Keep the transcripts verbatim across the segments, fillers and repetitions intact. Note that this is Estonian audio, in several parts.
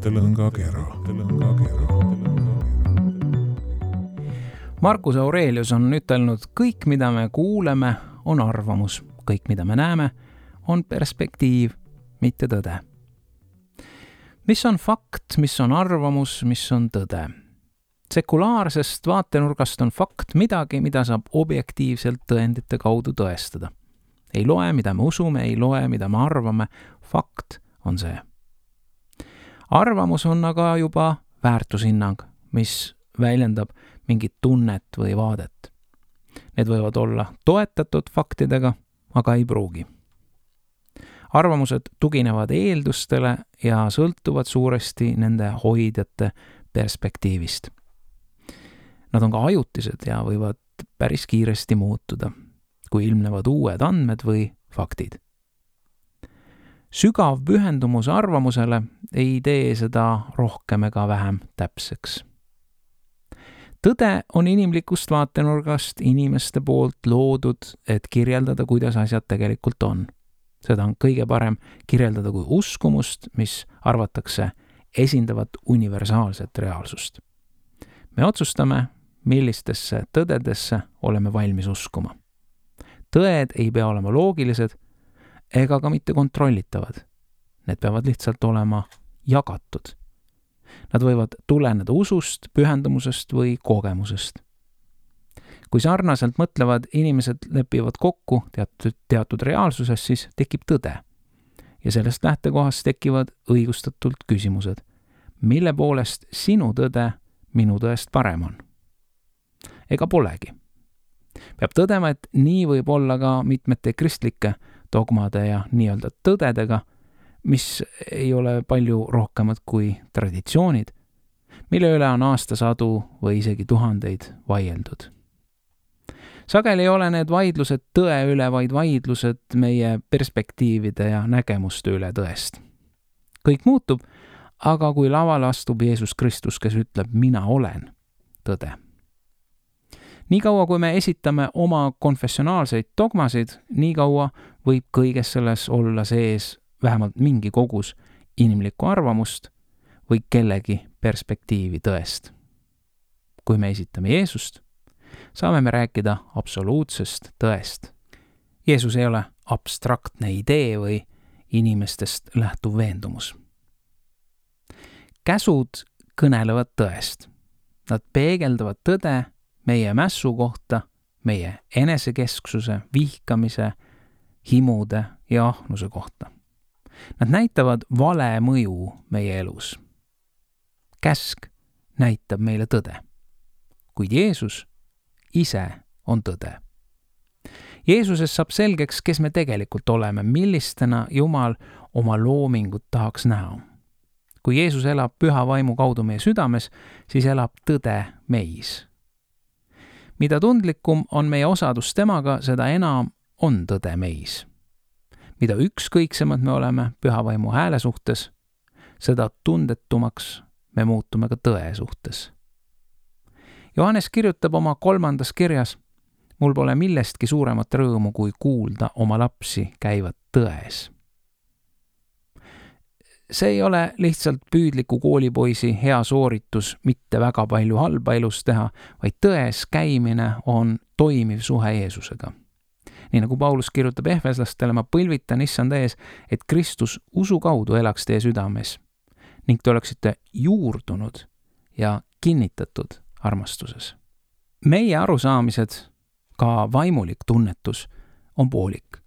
mõttelõngakera. Marcus Aurelius on ütelnud, kõik, mida me kuuleme, on arvamus. Kõik, mida me näeme, on perspektiiv, mitte tõde. Mis on fakt, mis on arvamus, mis on tõde? Sekulaarsest vaatenurgast on fakt midagi, mida saab objektiivselt tõendite kaudu tõestada. Ei loe, mida me usume, ei loe, mida me arvame. Fakt on see. Arvamus on aga juba väärtushinnang, mis väljendab mingit tunnet või vaadet. Need võivad olla toetatud faktidega, aga ei pruugi. Arvamused tuginevad eeldustele ja sõltuvad suuresti nende hoidjate perspektiivist. Nad on ka ajutised ja võivad päris kiiresti muutuda, kui ilmnevad uued andmed või faktid. Sügav pühendumus arvamusele ei tee seda rohkem ega vähem täpseks. Tõde on inimlikust vaatenurgast inimeste poolt loodud, et kirjeldada, kuidas asjad tegelikult on. Seda on kõige parem kirjeldada kui uskumust, mis arvatakse esindavat universaalset reaalsust. Me otsustame, millistesse tõdedesse oleme valmis uskuma. Tõed ei pea olema loogilised ega ka mitte kontrollitavad. Need peavad lihtsalt olema jagatud. Nad võivad tuleneda usust, pühendumusest või kogemusest. Kui sarnaselt mõtlevad inimesed lepivad kokku teatud, teatud reaalsuses, siis tekib tõde. Ja sellest lähtekohast tekivad õigustatult küsimused. Mille poolest sinu tõde minu tõest parem on? Ega polegi. Peab tõdema, et nii võib olla ka mitmete kristlike dogmade ja nii-öelda tõdedega, mis ei ole palju rohkemad kui traditsioonid, mille üle on aastasadu või isegi tuhandeid vaieldud. Sageli ei ole need vaidlused tõe üle, vaid vaidlused meie perspektiivide ja nägemuste üle tõest. Kõik muutub, aga kui lavale astub Jeesus Kristus, kes ütleb, mina olen tõde. Nii kaua, kui me esitame oma konfessionaalseid dogmasid, nii kaua võib kõiges selles olla sees vähemalt mingi kogus inimlikku arvamust või kellegi perspektiivi tõest. Kui me esitame Jeesust, saame me rääkida absoluutsest tõest. Jeesus ei ole abstraktne idee või inimestest lähtuv veendumus. Käsud kõnelevad tõest. Nad peegeldavad tõde meie mässu kohta, meie enesekesksuse, vihkamise, himude ja ahnuse kohta. Nad näitavad vale mõju meie elus. Käsk näitab meile tõde, kuid Jeesus ise on tõde. Jeesuses saab selgeks, kes me tegelikult oleme, millistena Jumal oma loomingut tahaks näha. Kui Jeesus elab püha vaimu kaudu meie südames, siis elab tõde meis. Mida tundlikum on meie osadus temaga, seda enam on tõde meis. Mida ükskõiksemad me oleme püha vaimu hääle suhtes, seda tundetumaks me muutume ka tõe suhtes. Johannes kirjutab oma kolmandas kirjas, mul pole millestki suuremat rõõmu, kui kuulda oma lapsi käivad tões. See ei ole lihtsalt püüdliku koolipoisi hea sooritus mitte väga palju halba elus teha, vaid tões käimine on toimiv suhe Jeesusega. Nii nagu Paulus kirjutab ehveslastele, ma põlvitan issand ees, et Kristus usu kaudu elaks teie südames ning te oleksite juurdunud ja kinnitatud armastuses. Meie arusaamised, ka vaimulik tunnetus, on poolik.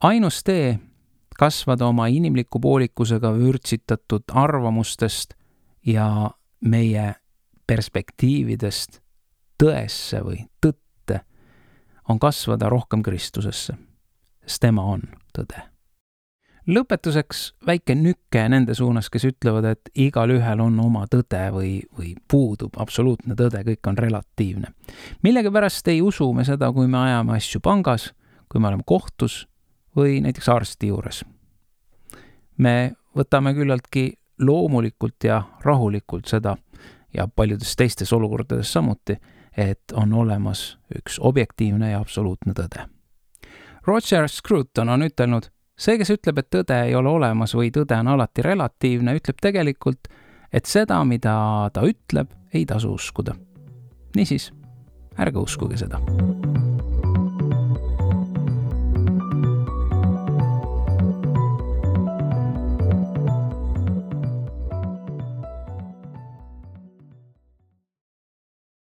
Ainus tee kasvada oma inimliku poolikusega vürtsitatud arvamustest ja meie perspektiividest tõesse või tõtte on kasvada rohkem Kristusesse, sest tema on tõde. Lõpetuseks väike nükke nende suunas, kes ütlevad, et igal ühel on oma tõde või, või puudub absoluutne tõde, kõik on relatiivne. Millegi pärast ei usu me seda, kui me ajame asju pangas, kui me oleme kohtus või näiteks arsti juures. Me võtame küllaltki loomulikult ja rahulikult seda ja paljudes teistes olukordades samuti, et on olemas üks objektiivne ja absoluutne tõde. Roger Scruton on ütelnud, see, kes ütleb, et tõde ei ole olemas või tõde on alati relatiivne, ütleb tegelikult, et seda, mida ta ütleb, ei tasu uskuda. Niisiis, ärge uskuge seda.